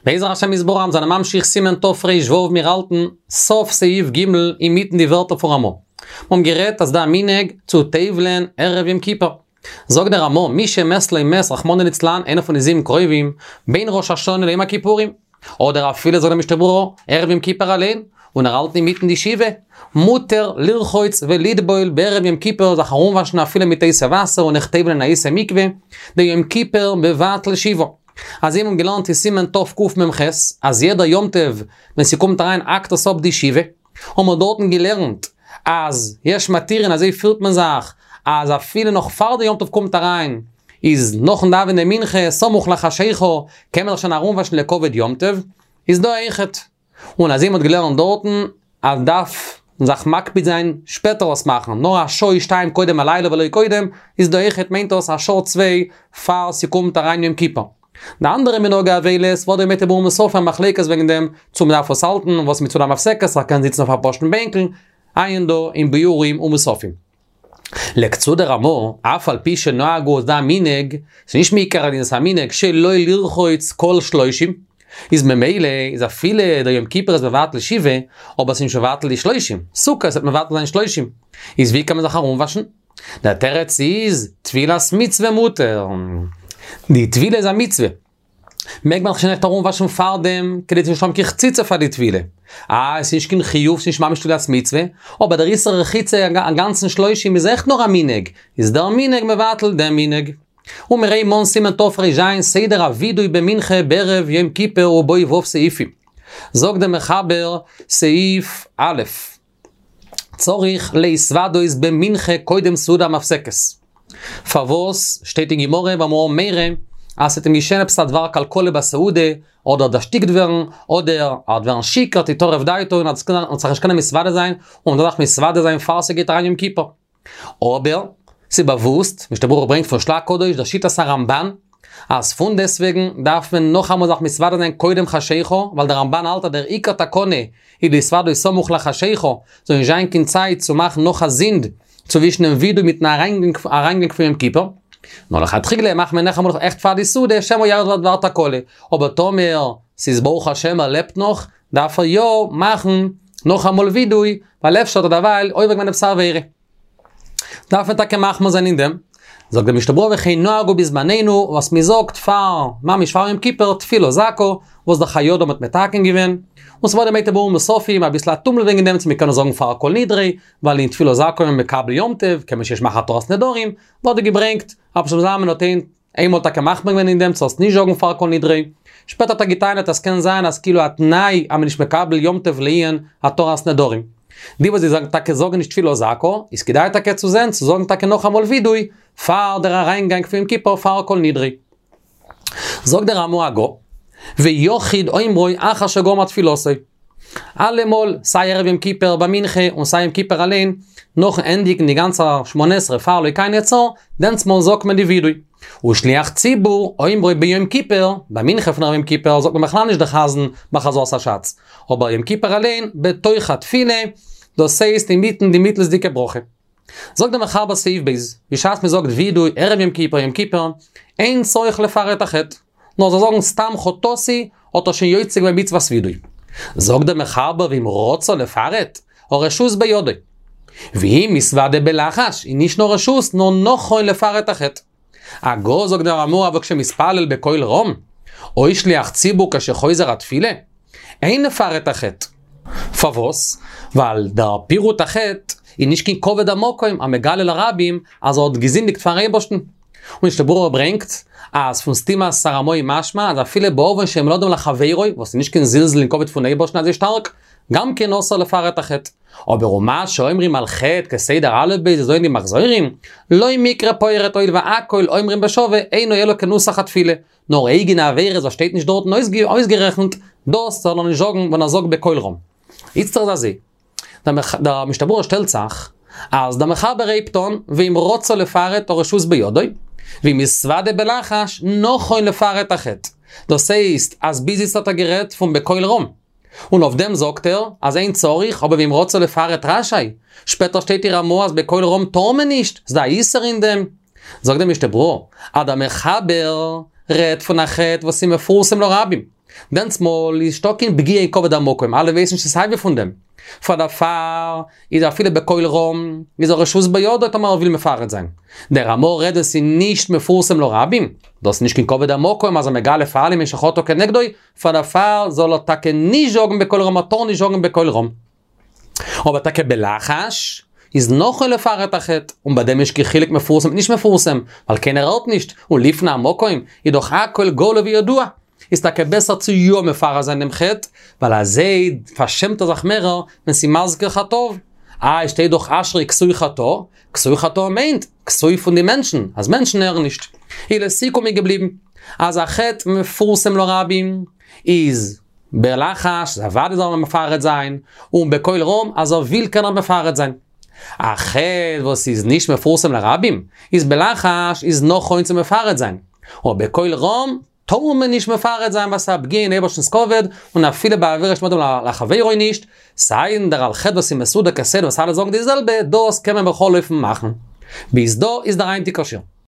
בעזר השם יתברך מיר זענען ממשיך סימן תר"ו מיר האלטן סוף סעיף ג' אינמיטן די ווערטער פון רמא. מיר האבן גערעדט אז דא א מנהג צו טובל'ען ערב יום כיפור. זאגט דער רמא מי שמת לו מת רחמנא ליצלן איינער פון די זיבן קרובים בין ראש השנה ליום הכיפורים אדער אפילו זאגט דער משנה ברורה ערב יום כיפור אליין און ער האלט אינמיטן די שבעה מותר לרחוץ ולטבול בערב יום כיפור זיך ארומוואשן אפילו מיט הייסע וואסער און אויך טובל'ען אין א הייסע מקווה דיום כיפור מבטל שבעה. אזוי האבן געלערנט אין סימן תקמ"ח אז יעדער יום טוב ווען ס'קומט אריין האקט עס אפ די שבעה, האבן מיר דארטן געלערנט אז יש מתירין אזוי פירט מען זיך אז אפילו נאך פאר די יום טוב קומט אריין איז נאכן דאווענען מנחה סמוך לחשיכה קען מען זיך שוין ארומוואשן לכבוד יום טוב, איז דא אויכעט. און אזוי מ'האט געלערנט דארטן אז דארף זיך מקפיד זיין שפעטער עס מאכן, נאר א שעה או שתיים קודם הלילה ולא קודם, איז דא אויכעט מיינט דאס א שעה צוויי פאר ס'קומט אריין יום כיפור. די אנדערע מנהגי אבילות וואס די ביאור ומוספים א מחלוקת וועגן דעם צו מ'דארף עס האלטן וואס מיט סעודה המפסקת ער קען זיצן אויף א פשוט'ן בענקל, עיין דא אין ביאורים ומוספים. לייגט צו דער רמא, אף על פי שנהגו איז דא א מנהג, ס'איז נישט מעיקר הדין ס'איז א מנהג שלא לרחוץ כל שלושים, איז ממילא איז אפילו דער יום כיפור איז מבטל שבעה, אבער ס'איז נישט מבטל די שלושים, סוכות וועט מבטל זיין שלושים, איז ווי קען מען זיך ארומוואשן? דער תירוץ איז, טבילת מצוה מותר. די טבילה איז א מצוה. מעג מען זיך שוין עכט ארומוואשן פארדעם, כדי צו נישט האבן קיין חציצה פאר די טבילה. אה, עס איז נישט קיין חיוב, ס'איז נישט ממש טבילת מצוה, אבער דער איסור רחיצה א גאנצן שלושים איז עכט נאר א מנהג, איז דער מנהג מבטל דעם מנהג. ומראה מן סימן תר"ז סדר הווידוי במנחה בערב יום כיפור ובו ו' סעיפים. זאגט דער מחבר, סעיף א', צריך להתוודות במנחה קודם סעודה המפסקת. פארוואס שטייט אין גמרא ואמרה מרא אז ס'וועט אים געשען עפעס א דבר קלקלה בסעודה, אדער דערשטיקט ווערן, אדער ער וועט ווערן שיכור תטרף דעתו און ער וועט זיך נישט קענען מתוודה זיין, און מ'דארף זיך מתוודה זיין פאר ס'גייט אריין יום כיפור. אבער, ס'איז באוואוסט, משנה ברורה ברענגט פון של"ה הקדוש דער שיטת הרמב"ן, אז פונדעסטוועגן דארף מען נאכאמאל זיך מתוודה זיין קודם חשיכה, ווייל דער רמב"ן האלט אז דער עיקר תקנה איז להתוודות סמוך לחשיכה, זאל נישט זיין קיין צייט צו מאכן נאך א זינד צווישן דעם ווידוי מיטן אריינגאנג פון יום כיפור. נאר לכתחילה מאכט מען נאכאמאל עכט פאר די סעודה שמא יאריך דבר תקלה, אבער טאמער ס'איז ברוך השם ער לעבט נאך, דארף ער יא מאכן נאכאמאל ווידוי, ווייל אפשר האט ער דערווייל עובר געווען עפעס א עבירה. דארף מען טאקע מחמיר זיין אין דעם. זאגט דער משנה ברורה וכן נהגו בזמנינו, וואס מען זאגט פאר, ממש פאר יום כיפור, תפילה זכה, וואס דער חיי אדם האט מתקן געווען, און ס'ווערט דערמאנט אין ביאור ומוספים אביסל א טומל וועגן דעם צו מען קען עס זאגן פאר כל נדרי, ווייל אין תפילה זכה איז מען מקבל יום טוב, קען מען שוין נישט מאכן התרת נדרים, ווערט דא געברענגט, רבי שלמה זלמן האט איינמאל טאקע מחמיר געווען אין דעם צו עס נישט זאגן פאר כל נדרי, שפעטער האט ער געטענה'ט אז ס'קען זיין אז כאילו א תנאי אז מ'איז נישט מקבל יום טוב לענין התרת נדרים. די וואס זיי זאגן טאקע זאגן נישט תפילה זכה, איז כדאי טאקע צו זען צו זאגן טאקע נאכאמאל וידוי פאר דער אריינגאנג פון יום כיפור פאר כל נדרי. זאגט דער רמ"א הגה, ויחיד אומרו אחר שגמר תפילתו. אלעמאל, סיי ערב יום כיפור ביי מנחה און סיי יום כיפור אליין, נאכן ענדיגן די גאנצע שמונה עשרה פאר אלוקי נצור, דענסטמאל זאגט מען די וידוי. ושליח ציבור אומרו ביום כיפור, ביי מנחה פון ערב יום כיפור זאגט מען בכלל נישט די חזן ביי חזרת הש"ץ, אבער יום כיפור אליין בתוך התפילה, דאס הייסט אינמיטן די מיטלסדיגע ברכה. זאגט דער מחבר סעיף ב', בשעת מען זאגט וידוי ערב יום כיפור יום כיפור, אין צריך לפרט החטא, נאר זאל זאגן סתם חטאתי, האט ער שוין יוצא געווען מצוות וידוי. זאגט דער מחבר ואם רצה לפרט, הרשות בידו. ואם מתוודה בלחש, איז נישט נאר רשות, נאר נכון לפרט החטא. הגה זאגט דער רמ"א אבל כשמתפלל בקול רם, או שליח ציבור כשחוזר התפילה, אין לפרט החטא. פארוואס? ווייל דער פירוט החטא איז נישט קיין כבוד המקום המגלה לרבים אז ער האט געזינדיגט פארן אייבערשטן. און משנה ברורה ברענגט אז פון סתימת הרמאי משמע אז אפילו בעוון שבין אדם לחבירו, וואס איז נישט קיין זלזול אין כבוד פון אייבערשטן אזוי שטארק, גם כן אסור לפרט החטא. אבער ומה שאומרים על חטא כסדר א' ב' אזוי אין די מחזורים, לא מיקרי פורט הואיל והכל אומרים בשווה אינו אלא כנוסח התפילה, נאר אייגענע עבירות וואס שטייט נישט דארטן אויסגערעכנט, דאס זאל ער נישט זאגן ווען ער זאגט בקול רם. איצטער איז אזוי, דער משנה ברורה שטעלט זיך, אז דער מחבר הייבט אן, ואם רצה לפרט הרשות בידו, ואם מתוודה בלחש, נכון לפרט החטא. דאס הייסט אז ביז איצט האט ער גערעדט פון בקול רם. און אויף דעם זאגט ער אז אין צריך, אבער ואם רצה לפרט רשאי. שפעטער שטייט אין רמ"א אז בקול רם טאר מען נישט, ס'דא א איסור אין דעם. זאגט דער משנה ברורה, אז דער מחבר רעדט פון א חטא וואס איז מפורסם לרבים. דענסמאל איז נישטא קיין פגיעה אין כבוד המקום, אלע ווייסן נישט סייווי פון דעם. פאר דערפאר איז אפילו בקול רם איז הרשות בידו טאמער ער וויל מפרט זיין. דער רמא רעדט ווען ס'איז נישט מפורסם לרבים, דאס איז נישט קיין כבוד המקום אז ער מגלה פאר אלעמען שחטא כנגדו, פאר דערפאר זאל ער טאקע נישט זאגן בקול רם ער טאר נישט זאגן בקול רם. אבער טאקע בלחש איז נכון לפרט החטא, און ביי דעם איז נישט קיין חילוק מפורסם מיט נישט מפורסם, ווייל קיינער הערט נישט, און לפני המקום איז דאך הכל גלוי וידוע. איז טאקע בעסער צו יא מפרט זיין דעם חטא, ווייל אזוי פארשעמט ער זיך מערער ווען ס'איז מזכיר חטאיו. איי שטייט דאך אשרי כסוי חטאה, כסוי חטאה מיינט, כסוי פון די מענטשן, אז מענטשן הערן נישט. איז לסיכום איז געבליבן, אז א חטא מפורסם לרבים איז בלחש, אוודאי זאל מען מפרט זיין, און בקול רם אז ער וויל קען ער מפרט זיין. א חטא וואס איז נישט מפורסם לרבים, איז בלחש איז נכון צו מפרט זיין, אבער בקול רם טאר מען נישט מפרט זיין ווייל ס'איז א פגיעה אין אייבערשטנ'ס כבוד, און אפילו ביי עבירה שבין אדם לחבירו נישט, סיידן דער על חטא וואס איז מסודר כסדר וואס אלע זאגן די זעלבע, דאס קען מען בכל אופן מאכן. ביז דא איז דער היינטיגער שיעור.